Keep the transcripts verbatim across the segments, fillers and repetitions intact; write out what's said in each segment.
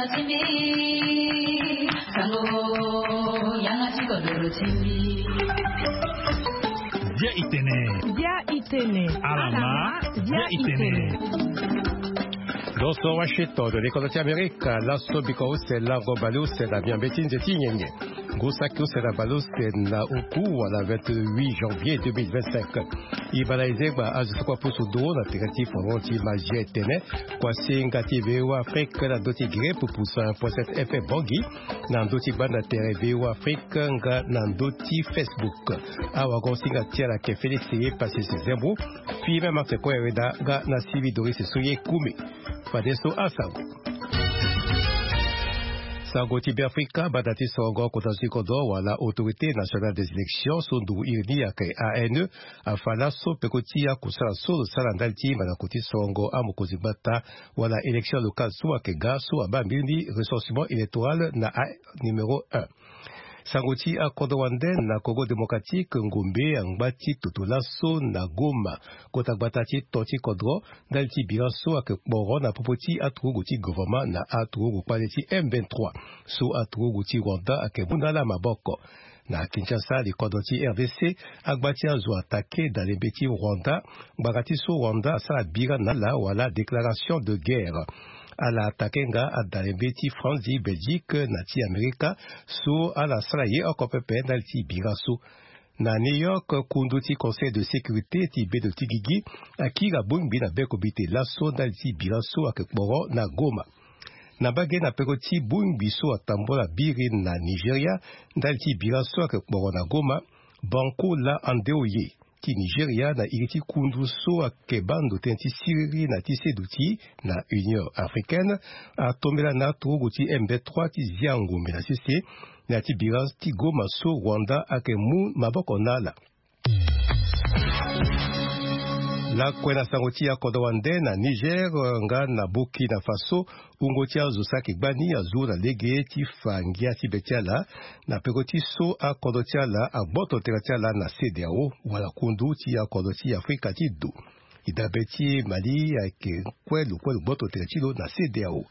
Dia itene. Dia itene. Alama. Dia itene. Donso washington de lekono ti amerika laso biko use lango baleuse na miambe ti nze ti nyenye. Ngu saki use na baleuse na oku wala vingt-huit janvier deux mille vingt-cinq. Ibala izegba azo soko apusu nduru na tere ti foron ti magie tene. Kuasinga ti veo afrique na ndö ti gre pupusa point sept fm bongi. Na ndö ti gbanda tere veo afrique nga na ndö ti facebook. Awago singa ti ala ke félix ye pasi si zembo. Fille même afrique oyo aweda nga na sivi doris so ye kumi. Fadeso asango. Sango ti beafrika banda ti songo kota ti kodro wala autorité nationale des élections so nduru iri ni ayeke ane. Afa laso peko ti akusala so lo sara ndali ti mandako ti songo amokonzi gbata wala élection locale so ayeke ga so abaa mbiri ni recensement électoral na a numéro un. Sango ti akodro wande na congo démocratique ngombe angba ti toto laso na goma. Kota gbata ti to ti kodro ndali ti bira so ayeke kporo na popo ti aturugu ti gouvernement na aturugu kpale ti m vingt-trois so aturugu ti rwanda ayeke mu na ala maboko. Na kinshasa likodro ti rdc agba ti azo atake dalembe ti rwanda. Ngbanga ti so rwanda asara bira na ala wala déclaration de guerre. Ala atake nga adalembe ti france di belgique na ti amerika so ala sara ye oko pepe ndali ti bira so. Na new york kundu ti conseil de sécurité ti bedo ti gigi akiri abongbi na beko bite laso ndali ti bira so ayeke kporo na goma. Na mbage na peko ti bongbi so atambula biri na nigeria ndali ti bira so ayeke kporo na goma. Banko la andeoye ti nigeria na iri ti kundu so ayeke baa ndo tënë ti siriri na ti seduti na union africaine atombela na aturugu ti m vingt-trois ti zia ngombe na sese. Na ya ti bira ti goma so rwanda ayeke mu maboko na ala. Lakue na sango ti akodro wande na niger nga na burkina faso. Wungo ti azo saki gbani azo na lege ti fa ngia ti be ti ala na peko ti so akodro ti ala agboto tere ti ala na cdao wala kundu ti akodro ti afrika ti do. Idabe ti mali ayeke kue lo kue lo gboto tere ti lo na cdao.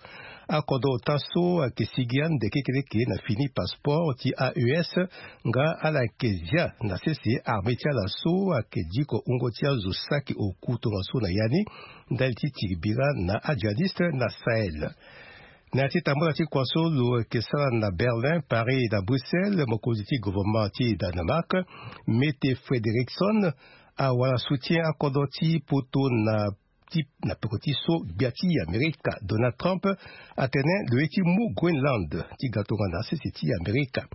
Akodro ota so ayeke sigi ande kekeleke na fini passeport ti aes nga ala yeke zia na sese armée ti ala so ayeke diko wungo ti azo saki oku tongaso na ya ni ndali ti tiri bira na ajihadiste na sahel. Na ya ti tambula ti kua so lo yeke sara na berlin paris na bruxelles mokonzi ti gouvernement ti danemark mete frederikson awara soutien akodro ti poto na ti na peko ti so gbia ti amerika donald trump atene lo ye ti mu groenland ti ga tongana sese ti amerika.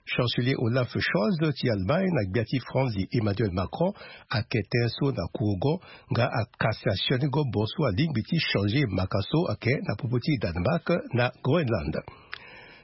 Chancelier olaf scholz ti allemagne na gbia ti france emmanuel macron ayeke tënë so na kurugo nga akasi asioni gobo so alingbi ti changer maka so ayeke na popo ti danemark na groenland.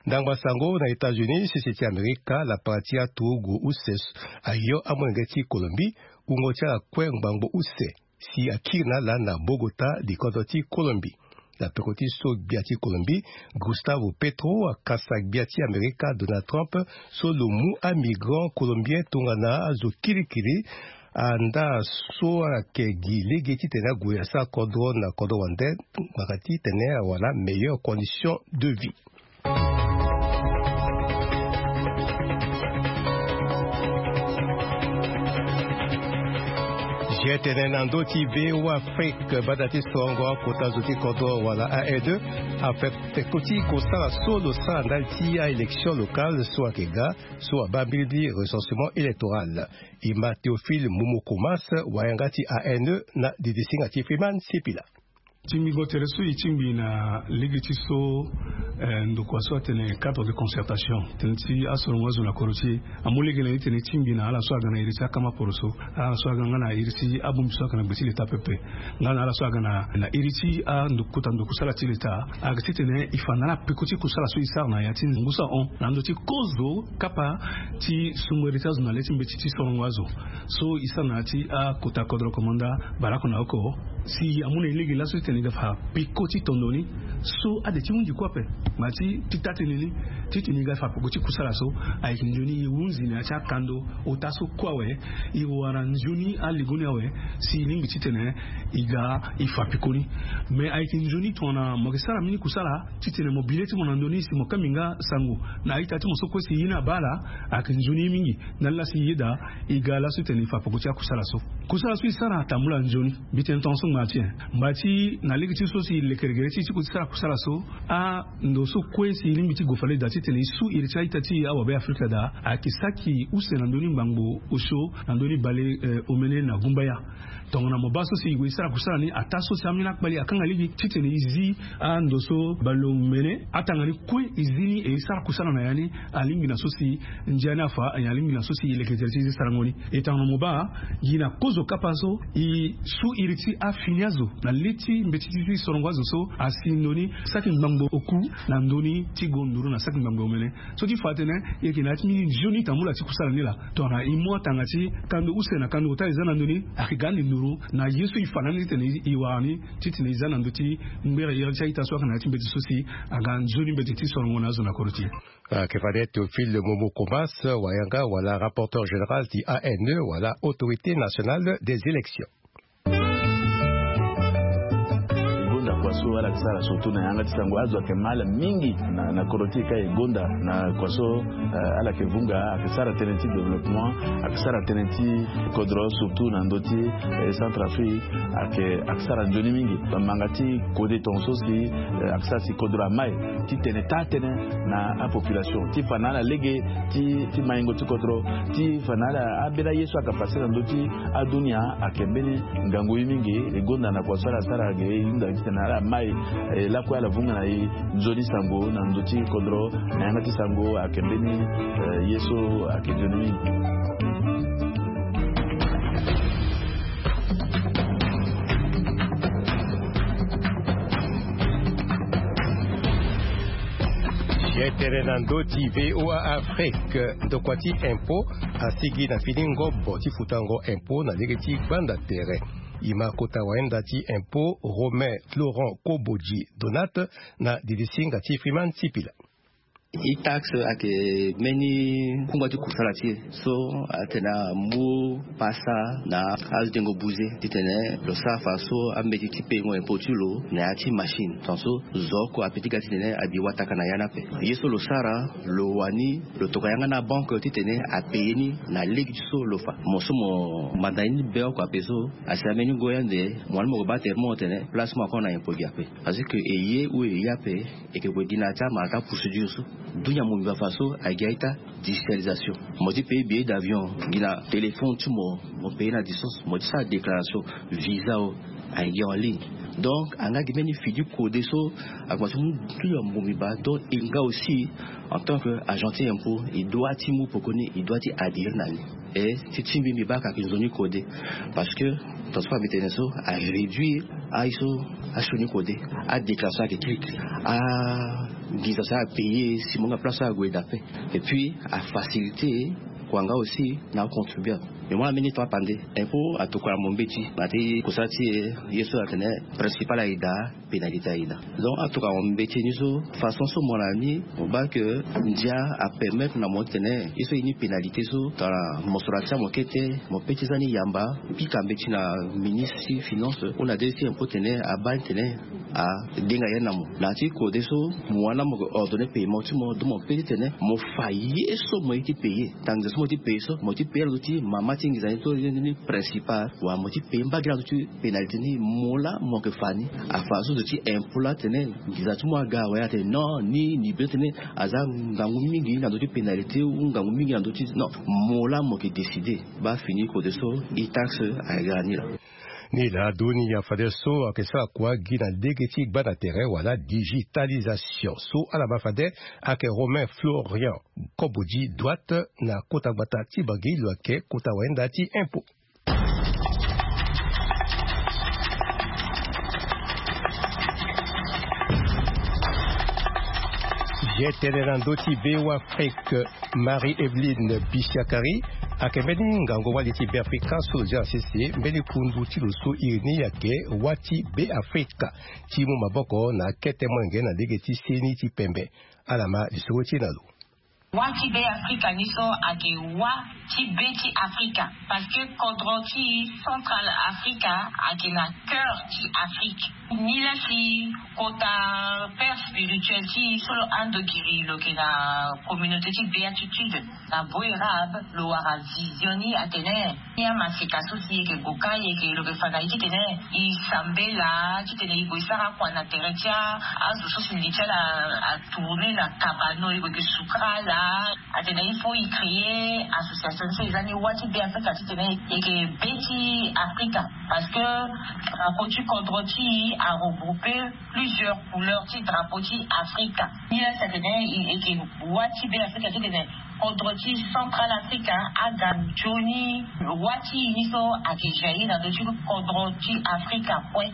Ndangba sango na états-unis sese ti amerika lapara ti aturugu use ayo amolenge ti colombie wungo ti ala kue ngbangbo use si akiri na ala na bogota likodro ti colombie. Na peko ti so gbia ti colombie gustavo petro akasa gbia ti amerika donald trump so lo mu amigrant colombien tongana azo kirikiri. Andaa so ayeke gi lege titene ague asara kodro na kodro wande ngbanga titene awara meilleure condition de vie. Jetene na ndö ti voa afrique banda ti songo akota zo ti kodro wala aed afe peko ti kosala so lo sara ndali ti aélection locale so ayeke ga so abaa mbirimbiri recensement électoral. E ma théophile momo comas wayanga ti ane na didisinga ti freeman sipila. Ti mbi go tere so e tingbi na lege ti so ndokua so atene cadre de concertation tene ti asorongo azo na koro ti e amu lege na ni tene e tingbi na ala so aga na iri ti akama poroso ala so aga nga na iri ti abongbi so aga na gbe ti leta pepe nga na ala so aga na iri ti andokota ndokusala ti leta. Aga titene e fa na ala peko ti kusala so e sara na ya ti ngu so ahon na ndö ti kozo kapa ti sungere ti azo na le ti mbeti ti sorongo azo so e sara na ya ti akota kodro komanda baleoko na oko. Si amu na e lege laso ti titene e ga fa peko ti tondo ni so ade ti hunzi kue ape. Ma ti ti taa-tënë ni, titene e ga fa peko ti kusala so, ayeke nzoni e hunzi na ya ti akando ota so kue awe. E wara nzoni aligo ni awe, si e lingbi titene e ga e fa peko ni. Me ayeke nzoni tongana mo yeke sara mbeni kusala titene mo bi le ti mo na ndö ni si mo kangbi nga sango na a-ita ti mo so kue si e ye ni abaa ala, ayeke nzoni ye mingi. Ndali laa si e yeda e ga laso titene e fa peko ti akusala so. Kusala so e sara atambula nzoni. Mbi tene tongaso ngba ti nyen? Ngba ti na lege ti so si e leke gere ti e ti ko ti sara kusala so, ando so kue si e lingbi ti gue fade daa titene e su iri ti a-ita ti e awabe Afrika daa, ayeke saki use na ndö ni ngbangbo osio na ndö ni bale, eh, omene na gumbaya. Tongana mo baa so si e gue e sara kusala ni, ataa so si ambeni akpali akanga lege titene e zi ando so baleomene atanga ni kue e zi ni e sara kusala na ya ni, alingbi na so si ndia ni afa, alingbi na so si e leke tere ti e ti sarango ni. E tongana mo baa, gi na kozo kapa so e su iri ti afini azo na le ti mbeti ti sorongo azo so asi ndoni saki ngbangbo oku na ndö ni ti gonduru na saki ngbangbo omene. So ti fa atene e yeke na ya ti mbeni nzoni tambula ti kusala ni laa. Tongana e mu atanga ti kando use na kando ota e za na ndö ni, ayeke ga ande nduru na ye so e fa na ni titene e wara ni titene e za na ndö ti ngbere iri ti a-ita so ayeke na ya ti mbeti so si aga nzoni mbeti ti sorongo na azo na kodro ti e. Ayeke fade Théophile Momo Comas, wayanga wala rapporteur général ti A N E wala Autorité Nationale des Élections. E gonda kua so ala yeke sara surtout na yanga ti sango, azo ayeke mal mingi na, na kodro ti e ka e gonda na kua so, eh, ala yeke vunga, ayeke sara tënë ti développement, ayeke sara tënë ti kodro surtout na ndö ti, eh, Centrafrique, ayeke, ayeke sara nzoni mingi. Bamanga ti kode tongaso si, eh, ayeke sara si kodro amai titene taa-tënë na apopulation ti fa na ala lege ti, ti maingo ti kodro, ti fa na ala ambeni aye so ayeke pase na ndö ti adunia, ayeke mbeni ngangu ye mingi. E gonda na kua so ala sara ge e hunda titene ala mai, eh, lakue ala vunga na e nzoni sango na ndö ti kodro na yanga ti sango ayeke mbeni, eh, ye so ayeke nzoni mingi. Ye tere na ndö ti V O A Afrique, ndokua ti impôt asigi na fini ngobo ti futango impôt na lege ti gbanda tere. E ma kota wayenda ti impôt Romain Florent Kobodji Donat na didi singa ti Freeman Sipila. E-taxe ayeke mbeni kungba ti kusala ti e so atene amu pasa na adengo buze titene lo sara fa so ambeti ti payengo impôt ti lo na ya ti machine. Tongaso zo oko ape ti ga titene abi wataka na ya ni ape. Ye so lo sara, lo wani lo tokua yanga na banque titene apaye ni na lege ti so lo fa. Mo so mo manda ye ni be oko ape so, asi na mbeni ngoi ande mo wani mo ke baa tere mo tene place ti mo akono na impôt gi ape. Parce que e ye ou e ye ape, e yeke gue gi na ya ti amara ti aprocédure so. Dunia mo mbi baa fa so ayeke gi a-ita digitalisation. Mo ti paye billet d'avion gi na téléphone ti mo, mo paye na distance. Mo ti sara déclaration visa o, ayeke gi en ligne. Donc anga gi mbeni fini kode so akomanse mu dunia mo mbi baa. Donc e nga aussi, en tant que agent ti impôt, e doit ti mu pekoni, e doit ti adhérer na ni. E ti ti mbi mbi baa ka ayeke nzoni kode. Parce que tongaso mbi tene so aréduire aye so asioni kode. Adéclaration ayeke kiri kiri. Anginza so apaye si mo nga place so ague daa ape. Et puis afacilité kua nga aussi na acontribuable. Mais mo na mbeni temps apande. Impôt atokua na mo mbeti na ya ti kusala ti e, ye so atene principal aye daa, pénalité aye daa. Donc atokua na mo mbeti ni so, façon so mo na ni, mo baa ke ndia apermettre na mo titene ye so e ni pénalité so, tongana mo sora ti amo kete, mo pe ti za ni yamba, pika mbeti na ministre ti finance ou na directeur ti impôt titene abaa ni titene adenga ye ni na mo. Na ya ti kode so, mo wani na mo ke ordonner paiement ti mo, donc mo pe titene mo fa ye so mo ye ti payer. Tanga nginza so mo ti payer so, mo ti payer na ndö ti mama ti nginza ni to ni principal, wala mo ti payer mbage na ndö ti pénalité ni, mo laa mo yeke fa ni. Afa so zo ti impôt laa tene nginza ti mo aga awe, atene non, ni, ni be tene aza ngangu mingi na ndö ti pénalité ou ngangu mingi na ndö ti, non, mo laa mo yeke décider. Baa fini kode so, e-taxe aga ni laa. Ni laa dunia fadeso ayeke sara kua gi na lege ti gbanda tere wala digitalisation. So ala ma fade ayeke Romain Florian Kobodji Douat na kota gbata ti Bangui, lo yeke kota wayenda ti impôt. Ye tene na ndö ti V O A Afrique, Marie-Evelyne Bisiakari Ayeke mbeni ngangu wali ti Beafrika so lo zia na sese mbeni kundu ti lo so iri ni ayeke Wâ ti Beafrika ti mu maboko na akete molenge na lege ti seni ti pembe. Ala ma lisoro ti e na lo. Wâ ti Beafrika ni so ayeke wâ ti be ti Afrika, parce que kodro ti Central Afrika ayeke na cœur ti Afrique. Ni la si kota père spirituel ti e so lo ando giri lo yeke na communauté ti béatitude na Boerab, lo wara vision ni atene ni amaseka so si e yeke gue ka, e yeke, lo yeke fa na e titene e sambela, titene e gue e sara kua na tere ti a, azo so si li ti ala atourne na kabano, e gue e yeke sukara ala. Atene il faut e créer association so e za ni Wâ ti Beafrika titene e yeke be ti Afrika, parce que drapeau ti kodro ti e aregroupe plusieurs couleurs ti drapeau ti Afrika. Ni la si atene e yeke Wâ ti Beafrika titene kodro ti Central Africa aga nzoni wâ ti e ni so ayeke jaillir na ndö ti kodro ti Afrika kue.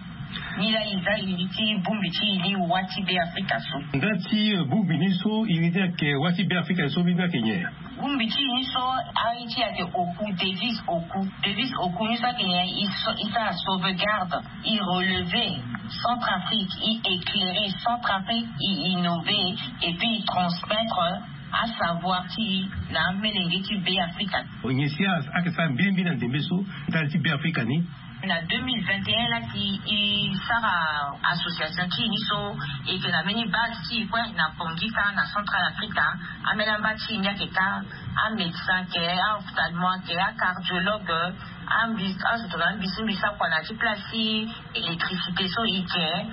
Ni la e za e li ti bongbi ti e ni Wâ ti Beafrika so. Nda ti, eh, bongbi ni so e li ni ayeke Wâ ti Beafrika so, mbeni ayeke nyen? Bongbi ti e ni so, aye ti e ayeke Oku, devise Oku. Devise Oku ni so ayeke nyen? E so, e sara sauvegarde, e relever Centrafrique, e éclairer Centrafrique, e innover, et puis e transmettre asavoir ti e na amolenge ti Beafrika. Nyen si ayeke sara mbirimbiri na ndembe so ndali ti Beafrika ni? Na deux mille vingt et un la si e sara association ti e ni so, e yeke na mbeni base ti e kue na Bangui kâ na Central Africa. Ambeni amba ti e ni ayeke kâ, amédecin ayeke, aophtalmo ayeke, acardiologue, ambi, azo tongana ambisi mbisi akua na ya ti place ti électricité so e yeke.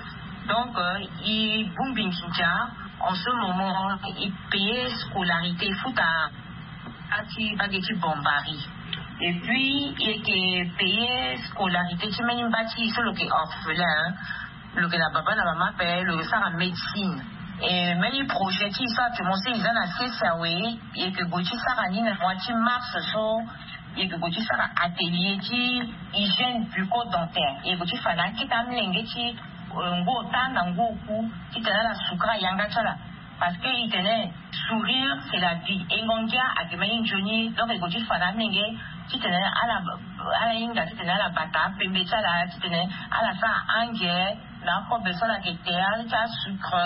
Donc, euh, e bongbi nginza. En ce moment e payer scolarité, e futa ati bage ti bombari. Et puis e yeke payer scolarité ti mbeni mba ti e so lo yeke orphelin, hein. Lo yeke na baba na mama ape, lo yeke sara médecine. E mbeni projet ti e so actuellement so e za na sese awe, e yeke gue ti sara ni na mois ti mars so, e yeke gue ti sara atelier ti hygiène bucco-dentaire. E yeke gue ti fa na akete amolenge ti, euh, ngu ota na ngu oku titene ala sukara yanga ti ala. Parce que e tene sourire c'est la vie. E ngongia ayeke mbeni nzoni. Donc e gue ti fa na amolenge titene ala, ala hinga titene ala bata apembe ti ala, titene ala sara ange na akobe so ala yeke te, ala ti asucre,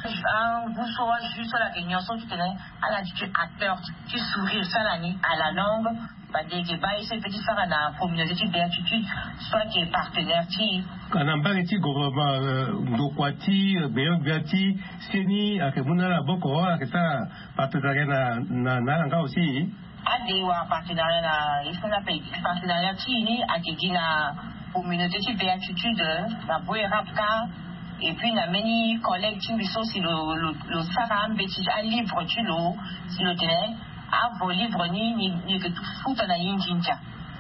angu so, ajus so ala yeke nyon so, titene ala ti tue acteur ti sourire ti ala ni à la longue. Bande e yeke baa ye so e peut ti sara na communauté ti béatitude so ayeke partenaire ti e. Ka na mbage ti gouvernement, euh, ndokua ti, euh, gbenyo-gbia ti seni ayeke mu na ala maboko, ayeke sara partenariat na, na, na ala nga aussi? Ade e wara partenariat na ye so ni ape. Partenariat ti e ni ayeke gi na communauté ti béatitude na Boerab kâ. Et puis na mbeni collègue ti mbi so si lo, lo, lo sara ambeti alivre ti lo, si lo tene avo livre ni, ni, ni yeke futa na e nginza.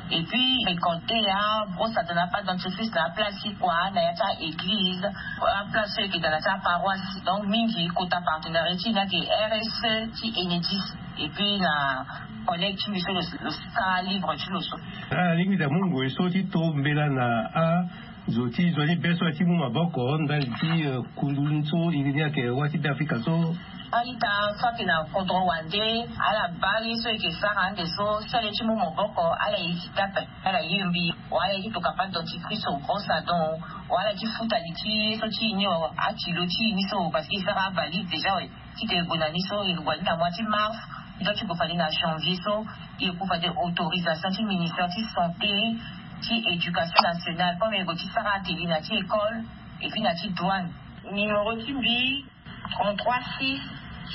Et puis récolter, abrosse ato na apâte dentifrice na aplace ti kua na ya ti a-église, aplace so e yeke daa na ti aparoisse. Donc mingi kota partenariat ti e ni ayeke R S E ti Enedis. Et puis na collègue ti mbi so lo, lo sara livre ti lo so. Ala lingbi daa mu ngoi so ti to mbela na a zo ti, zo ti be so aye ti mu maboko ndali ti, eh, kundu so iri ni ayeke Wâ ti Beafrika so? A-ita so ayeke na kodro wande, ala baa ye so e yeke sara ande so, si ala ye ti mu maboko ala hésite ape, ala ye mbi, wala ala ye ti toka apâte dentifrice, brosse à dents, wala ala ye ti futa li ti ye so ti e ni, akilo ti e ni so, parce que e sara avalise déjà awe. Titene e gue na ni so, e gue na ni na mois ti mars, e doit ti gue fade na janvier so, e gue fade autorisation ti ministère ti santé, ti éducation nationale, comme e gue ti sara atelier na ti école et puis na ti douane. Numéro ti mbi, trente-trois six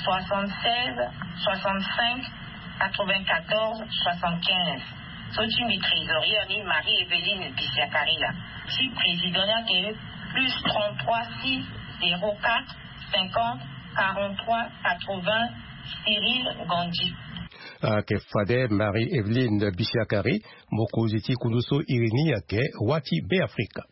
soixante-seize soixante-cinq quatre-vingt-quatorze soixante-quinze. So ti mbi trésorière ni Marie Evelyne Bisiakari laa. Ti président ni ayeke plus trente-trois six zéro quatre cinquante quarante-trois quatre-vingts, Cyril Gandhi. Ayeke fade Marie Evelyne Bisiakari, mokonzi ti kundu so iri ni ayeke Wâ ti Beafrika.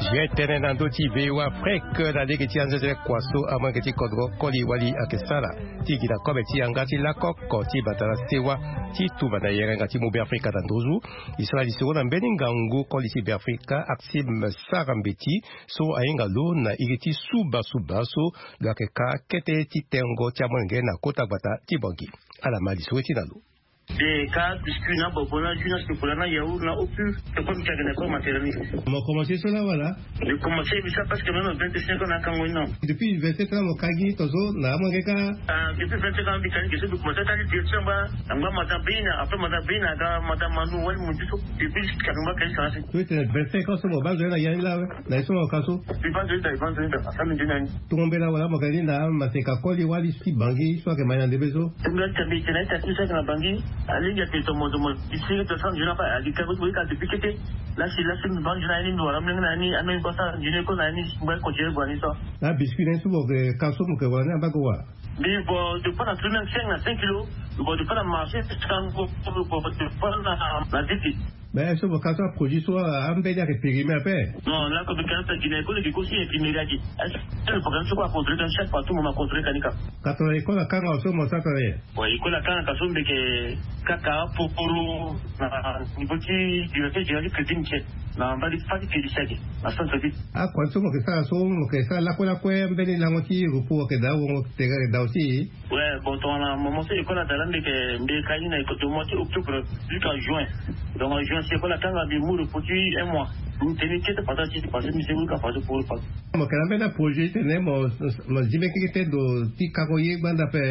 Ye tene na ndö ti V O A Afrique na lege ti anzezele kua so amolenge ti kodro koli wali ayeke sara ti gi na kobe ti yanga ti lakoko ti bata na sewa ti tumba na yere nga ti mu Beafrika na nduzu. E sara lisoro na mbeni ngangu koli ti Beafrika Axime Sara Mbeti so ahinga lo na iri ti suba suba so lo yeke ka kete ti tengo ti amolenge na kota gbata ti Bangui. Ala ma lisoro ti na lo. De ka biscuit na bobo na jus na chocolat na yaourt na opus. Te comme tu as gagné comme matériel. Mo commencé so la wala? De commencé bisa parce que même vingt-cinq ans na kango non. Depuis vingt-sept ans mo kagi tozo na amolenge ka. Ah, depuis vingt-cinq ans bitani ke so bi commencé tali direction ba. Angba mata bina après mata bina ga mata manu wali mundi so. Depuis jusqu'à ngba kali sa. Toi tu as vingt-cinq ans so mo ba zo na yani la. Na ye so mo ka so. Bi ba zo da ba zo da. Asa mi dina ni. Tongo mbela wala mo kali na maseka koli wali si Bangui so ayeke mai na ndembe so. Tongo ya tambi tena ita tu sa na Bangui. Alingi ake tomo tomo. Isi to sa nzuna pa ali ka ko ka depuis kete. Lasi lasi mi ba nzuna ni wala mlenge na ni ame ba sa nzuna ko na ni ba ko jere bwa ni so. Na biscuit na so mo ke ka so mo ke wala ni amba ko wa. Mbi bo de pa na tourner cinq na cinq kilos. Mbi bo de pa na marché. Kan ko bo de pa na na dix. Mais est-ce que bo ka so aproduit so ambeni ayeke périmé ape? Non, là comme quand ça dîner ko le ko si infirmier agi. Est-ce que le programme so ko a contrôler dans chaque partout mo ma contrôler kanika? Katana école akanga so mo sara tana ye. Bon, école akanga ka so mbi yeke kaka poporo na niveau ti directeur général ti crédit mutuel na mbali fati crédit saki na centre ville. Akua so mo yeke sara so mo yeke sara lakue lakue mbeni lango ti repos ayeke daa wongo tere ayeke daa aussi. Ouais, bon, tongana moment so école ada la mbi yeke mbi yeke ka ni na école de mois ti octobre jusqu'à juin. Donc en juin si école akanga mbi mu repos ti un mois. Mbi tene kete pata ti ti pase mbi se wika pase pour repas. Mo yeke na mbeni aprojet ti tene mo mo zi mbeni keke te ndo ti kako ye gbanda ape.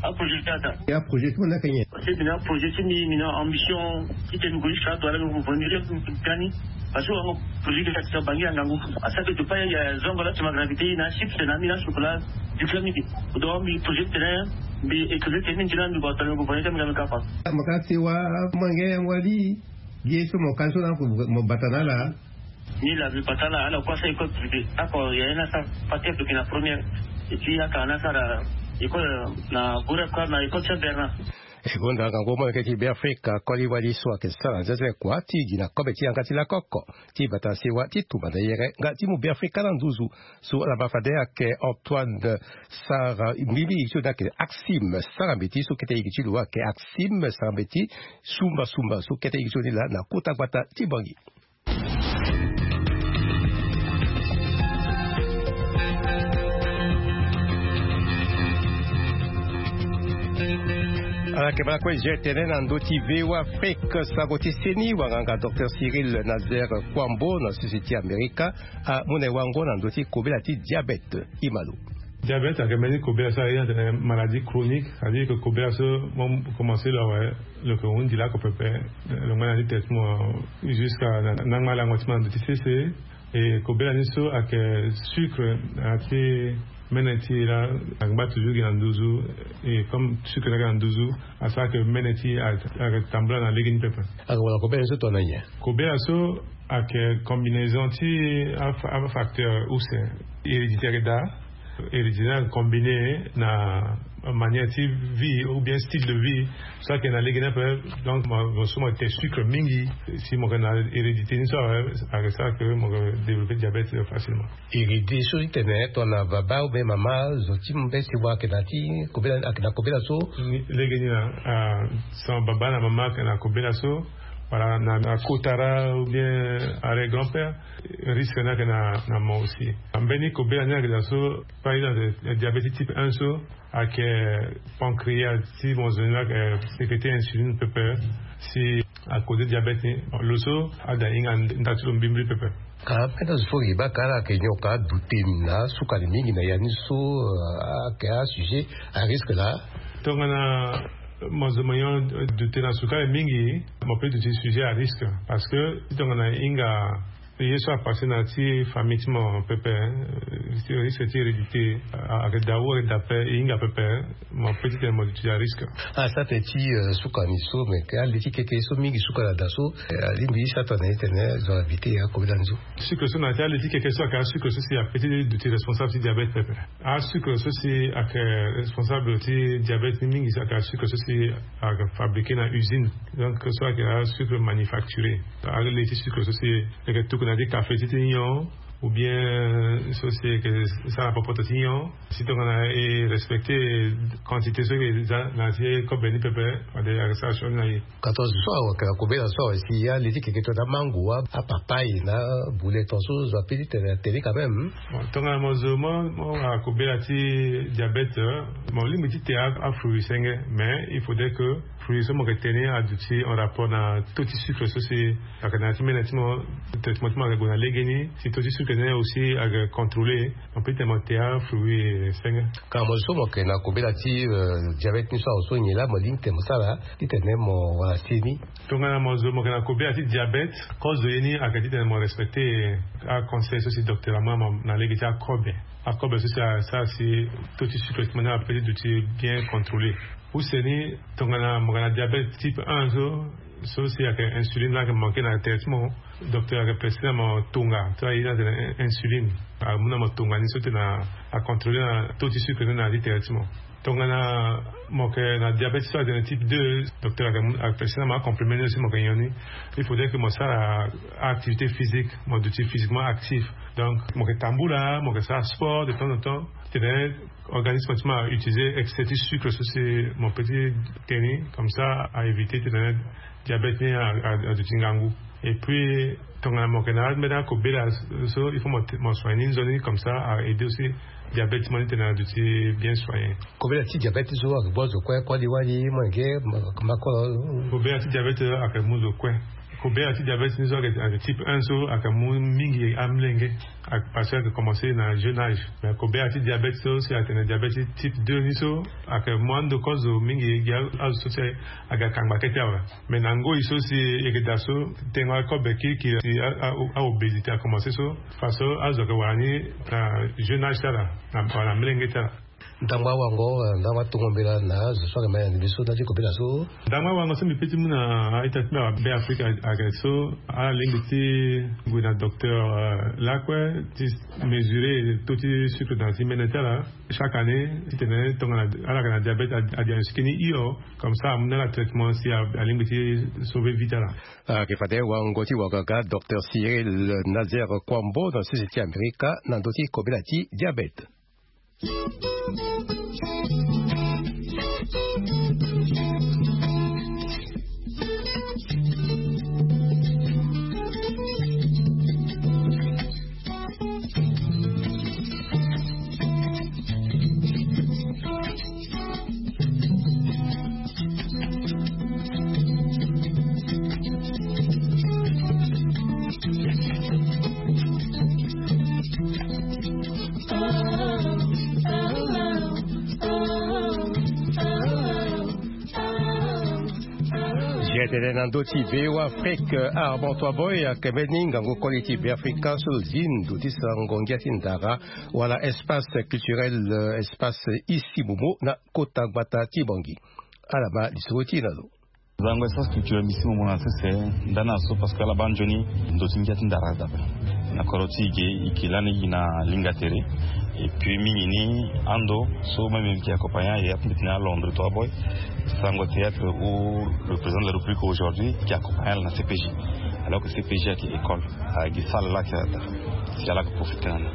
Aprojet ti ada. Ya projet ti mo na yeke nyen? Parce que mbi na projet ti mbi mbi na ambition ti tene mbi gue jusqu'à douala mbi gue venir mbi gani. Parce que wango projet ti kati ti bangi angangu. Asake to pa ya zongo la ti ma gravité na chips na mbi na chocolat. Diplôme mbi. Donc mbi projet ti tene mbi école ti mbi nzila mbi gue atene mbi gue venir mbi gani kapa. Mo ka ti wa mo nge yango ali. Ye so mo ka so na mo bata na ala. Ni la mbi bata na ala kue asara école privée ako ya ye na sara paquet doki na première. Et puis aka na sara école na gure kua na école Saint Bernard. E gonda ngangu molenge ti Beafrika koli wali so ayeke sara nzenze kua ti gi na kobe ti yanga ti lakoko ti bata na sewa ti tumba na yere nga ti mu Beafrika na nduzu. So ala ma fade ayeke Antoine Sara Mbimbi so ni ayeke Axime Sara Mbeti so kete igi ti lo ayeke Axime Sara Mbeti. Sumba sumba so kete igi ti lo ni laa na kota gbata ti Bangui. Ala yeke baa kue je tene na ndö ti V O A Afrique sango ti seni wanganga docteur Cyril Nazaire Kouambo na sese ti Amerika amu na e wango na ndö ti kobela ti diabète. Imalo. Diabète ayeke mbeni kobela so aye atene maladie chronique, c'est-à-dire que kobela so mo commencé lo awe lo yeke hundi lako pepe. Lo ngba na ni traitement jusqu'à na ngba lango ti mo na ndö ti sese. E kobela ni so ayeke sucre na ya ti mene ti e laa. Angba toujours gi na nduzu. E comme sucre ni ayeke na nduzu asara ke mene ti e ayeke tambula na lege ni pepe. Ayeke wala kobela ni so tongana nyen? Kobela so ayeke combinaison ti afacteur use. Hérédité ayeke daa. Hérédité ni ayeke combiner na manière ti vie ou bien style de vie so ayeke na lege ni ape. Donc mo so mo yeke sucre mingi si mo yeke na hérédité ni so awe ayeke sara ke mo yeke développer diabète facilement. Hérédité so ti tene tongana baba ou bien mama zo ti mbese wa ayeke na ti kobela ayeke na kobela so. Lege ni na son baba na mama ayeke na kobela so. Wala na kotara ou bien arrière grand père. Risque ni ayeke na mo aussi. Mbeni kobela ni ayeke daa so par exemple diabète type un so ayeke pancréas ti mo zo ni la ayeke sécréter insuline pepe. Si a causer diabète ni lo so ada hinga nda ti lo mbimbili pepe. Ka mbeni azo fo gi baa ka ala yeke nyoka dute na sukali mingi na ya ni so. Ayeke asujet à risque laa. Tongana mo zo mo nyon dute na sukali mingi mo pe duti sujet à risque. Parce que si tongana hinga ye so apasse na ti famille ti mo pepe. Risque ti hérédité ayeke daa ou ayeke daa pe e hinga pepe. Mo pe ti tene mo duti à risque. Asara tene ti sukali so me ke ale ti keke so mingi sukali ada so. Alingbi sara tongana ye tene zo ala éviter akobela ni so. Sucre so na ya ti ale ti keke so ayeke asucre so si ape ti duti responsable ti diabète pepe. Asucre so si ayeke responsable ti diabète ni mingi so ayeke asucre so si ayeke fabriquer na usine. Donc so ayeke asucre manufacturé. Ale ti sucre so si e yeke tuku na ya ti café ti ti nyon. ou bien so si eke sara popoto ti nyon, si tongana e respecter quantité so eke za na ti kobe ni pepe, fade ake sara sioni na e. Ka tongaso awa ka kobela so awa si ya leti keke to na mango wa apapay na bule tongaso zo ape ti tene atene quand même. Bon, tongana mo zo mo mo akobela ti diabète, mo lingbi ti te afruit senge, mais il faudrait que fruit so mo ke tene aduti en rapport na taux ti sucre so si ake na ya ti mene ti mo. Traitement ti mo ake gue na legeni si taux ti sucre ni aussi ake contrôler. Mo pe ti tene mo te afruit senge. Ka mo zo so mo ke na kobela ti diabète ni so awe so nyen la mo lingbi ti tene mo sara ti tene mo wara seni? Tongana mo zo mo ke na kobela ti diabète, kozo ye ni ake ti tene mo respecter aconseil so si docteur amu na mo na lege ti akobe. Akobe so si asara si taux ti sucre ti mo ni ape ti duti bien contrôler. Use ni tongana mo ke na diabète type un so so si ake insuline la ake manke na tere ti mo, docteur ake prescrire na mo tonga so aye ni atene insuline. Amu na mo tonga ni so ti tene acontrôler na taux ti sucre ni na ya ti tere ti mo. Tongana mo ke na diabète so atene type deux, docteur ake prescrire na mo acomplément ni so si mo ke nyon ni. Il faudrait que mo sara activité physique, mo duti physiquement actif. Donc mo ke tambula, mo ke sara sport de temps en temps, ti tene organisme ti mo autiliser excès ti sucre so si mo pe ti tene comme ça a éviter ti tene diabète ni aduti ngangu. Et puis tongana mo ke na ambeni akobela so il faut mo soigner ni nzoni comme ça a aider aussi diabète ti mo ni ti tene aduti bien soigner. Kobela ti diabète so ake bua zo kue koli wali mo yenge? Makolo. Kobela ti diabète ake mu zo kue. Kobela ti diabète ni so ake type un so ake mu mingi amlenge, parce que ake commencer na jeune âge. Mais kobela ti diabète so si atene diabète ti type deux ni so ake mu ando kozo mingi gi azo so si aga kangba kete awe. Mais na ngoi so si eke daa so tengo akobe kirikiri si aobésité akomanse so, faso azo ake wara ni na jeune age ti ala, wala na mlenge ti ala. Ndangba wango, ndangba tongo mbela na zo so ake ma yande mbi so na ti kobela so. Ndangba wango so mbi pe ti mu na a-ita ti mbi abe afrique ake so ala lingbi ti gue na docteur lakue ti mesurer taux ti sucre na ti mene ti ala chaque année ti tene tongana ala yeke na diabète adiagnostiquer ni hio. Comme ça amu na ala traitement si alingbi ti sauver vie ti ala. Ayeke fade wango ti wagaga docteur Cyril Nazaire Kwambo na sese ti Amerika na ndö ti kobela ti diabète. Zia tene na ndö ti V O A Afrique, Armand Toiboy ayeke mbeni ngangu koli ti Beafrika so zi ndo ti sango ngia ti ndara wala espace culturel, espace Isi Momo na kota gbata ti Bangui. Ala ma lisoro ti e na lo. Zango espace culturel Isi Momo na sese ndani na so parce que ala baa nzoni ndo ti ngia ti ndara dape. Na kodro ti e ge e ke lani gi na linga tere. Et puis mingi ni ando so même mbi ke accompagner aye ape mbi tene a Londres Toiboy, sango théâtre où le président de la République aujourd'hui ke accompagner ala na C P J. Alors que C P J ayeke école, ayeke gi salle la ayeke daa si ala yeke profiter na ni.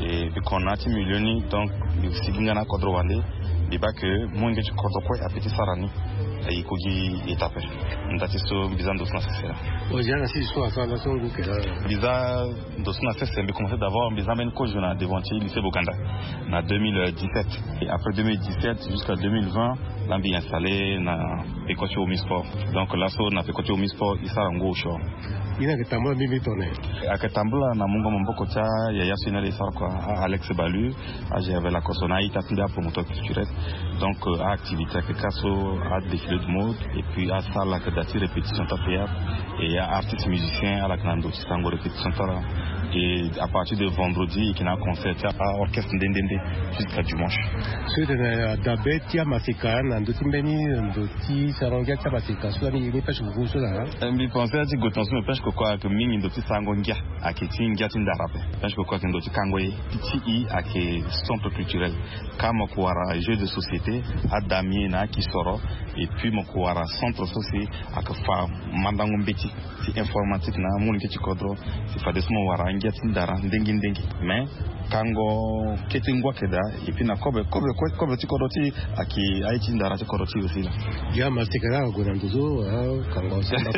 Et mbi kona ti milieu ni donc mbi sigi nga na akodro wande. Mbi baa ke molenge ti kodro kue ape ti sara ni. Aye ko gi étape. Nda ti so mbi za ndo so na sese la. Mbi za ndo so na sese mbi commencer d'abord mbi za mbeni kozo na devant ti lycée Boganda na deux mille dix-sept. Et après deux mille dix-sept jusqu'à deux mille vingt la mbi installer na peko ti Omi Sport. Donc laso na peko ti Omi Sport e sara ngu osio. Ye ni ayeke tambula mbeni tongana nyen? Ayeke tambula na mungo maboko ti ayaya so ye ni ala e sara kua, Alex Balu. Age avec la koso na a-ita ti mbi apromoteur culturel. Donc aactivité ayeke ka so, adéfilé de mode et puis asalle ayeke daa ti répétition ti athéâtre. Et aartiste musicien ala yeke na ndo ti sango répétition ti ala. Et à partir de vendredi e yeke na aconcert ti aorchestre nde nde nde jusqu'à dimanche. So e tene adabe ti amaseka na ndo ti mbeni ndo ti sango ngia ti amaseka so lani e ni pêche koko so laa. Mbi pense ti gue tongaso mbi pêche koko ayeke mingi ndo ti sango ngia. Ayeke ti ngia ti ndara ape. Pêche koko ayeke ndo ti kango ye. Ti e ayeke centre culturel. Ka mo yeke wara jeu de société, adamier na akisoro. Et puis mo ko wara centre so si ake fa mandango mbeti ti informatique na amunike ti kodro. Si fade so mo wara angia ti ndara ndengi ndengi. Mais kango kete ngua keda. Et puis na kobe kobe kobe ti kodro ti aki aye ti ndara ti kodro ti aussi la. Ya masika la ago na nduzu. Kango samba.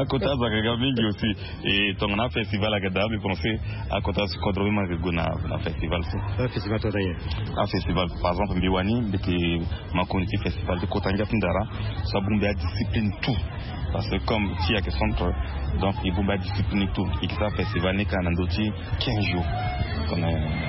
Akota azaka ga mingi aussi. Et tongana festival ake daa mbi pense akota si kodro mbi ma ke gue na festival so. Festival to na ye. Afestival par exemple mbi wani mbi ke makoni ti festival ti kota ngia ti ndara. So abongbi adiscipline tout. Parce que comme ti ake centre, donc e bongbi adiscipline tout. E ke sara festival ni ka na ndo ti quinze jours. Comme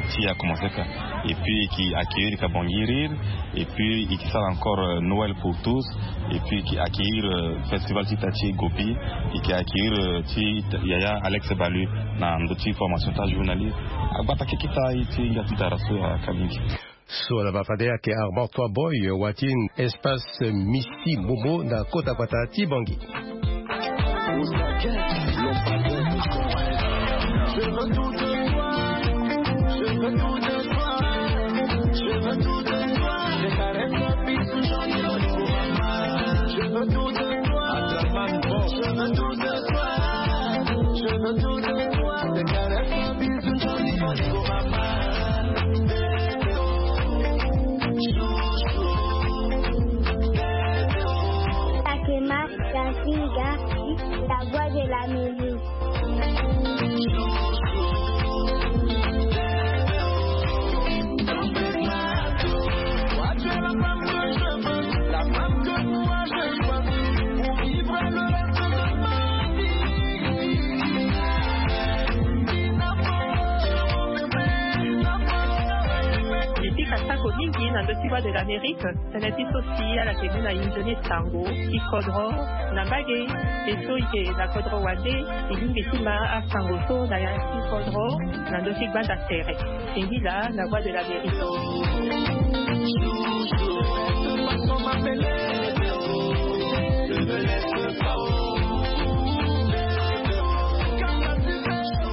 ti a commencé ka. Et puis e ke accueillir ka bangi rire. Et puis e ke sara encore noël pour tous. Et puis e ke accueillir festival ti ta ti gopi. E ke accueillir ti yaya alex balu na ndo ti formation ta journaliste. Agbata keke ta ye ti ngia ti ndara so aka mingi. So na bafade ake armand toi boy wa ti espace misi momo na kota gbata ti bangi. Takema, la fille, la voix de la musique. Epika sako mingi na ndö ti voix de l'amérique. Tene ti so si ala yeke mu na inzoni sango ti kodro na mbage. E so e yeke na kodro wande e lingbi ti ma asango so na ya ti kodro na ndö ti gbanda tere. Singila na voix de l'amérique.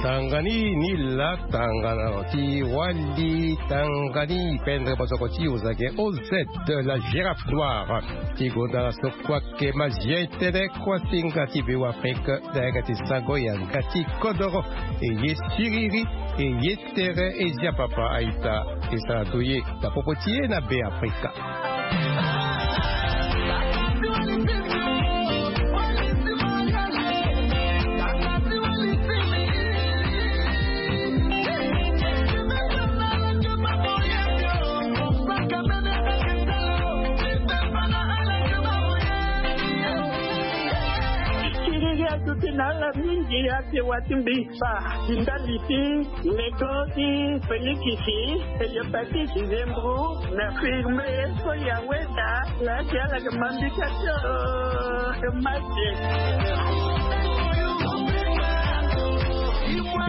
Tangani ni la tangana ti wali tangani pendre bosoko ti ozage oz. La girafe noire ti gonda la so kua ke ma zia etene kua singa ti be wa afrique. Dayaka ti sago yanga ti kodoro e ye siriri e ye tere e zia papa aita. E sara doye na popo ti ye na be afrika. Kiriri atuti na ala mingi ate wa ti mbi. Fa ti ndali ti meko ti felikisi, eliopatisi zembru na firme so ya weda. Na ti ala ke mambika ti o ke mate.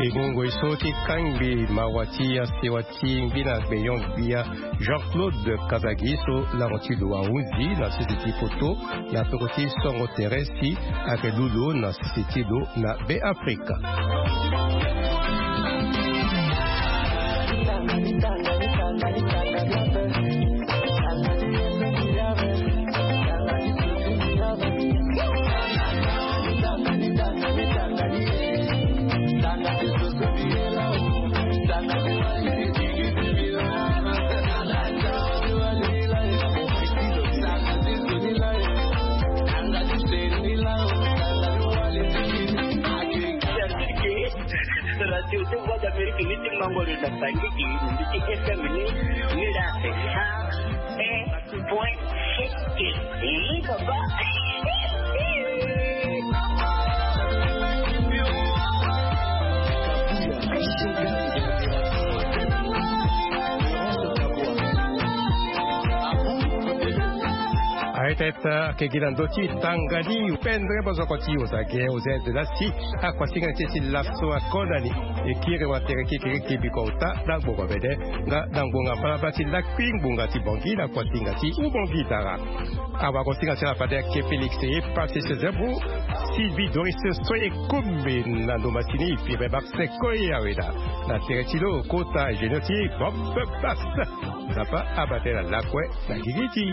E ngongo e so ti kangbi mawa ti ya sewa ti ngbina gbeyon gbia jean-claude kazagi so lango ti lo ahunzi na sese ti poto na peko ti songo tere si ayeke lu lo na sese ti lo na be afrika. Radio ti Voix d'Amérique ni ti mango lo na sangiki ni mbi ti F M ni. Ni la c'est cent un point sept. Ni papa. Aye tete. Ake gi na ndö ti tanga ni pendre bozoko ti ozage ozede lasi. Akuasinga ti e ti laso akonda ni. E kiri watere kekere kebiko ota na gbongo bede nga na ngbonga mbalambala ti lakui ngbonga ti bongi na kuasinga ti ubongi dara. Awakosinga ti ala fade ake félix e pase sezebro. Sylvie doris so e kombe na ndo masini pire bakse koi aweda na tere ti lo kota génio ti bob bas. Nzapa abate na lakue na gigi ti.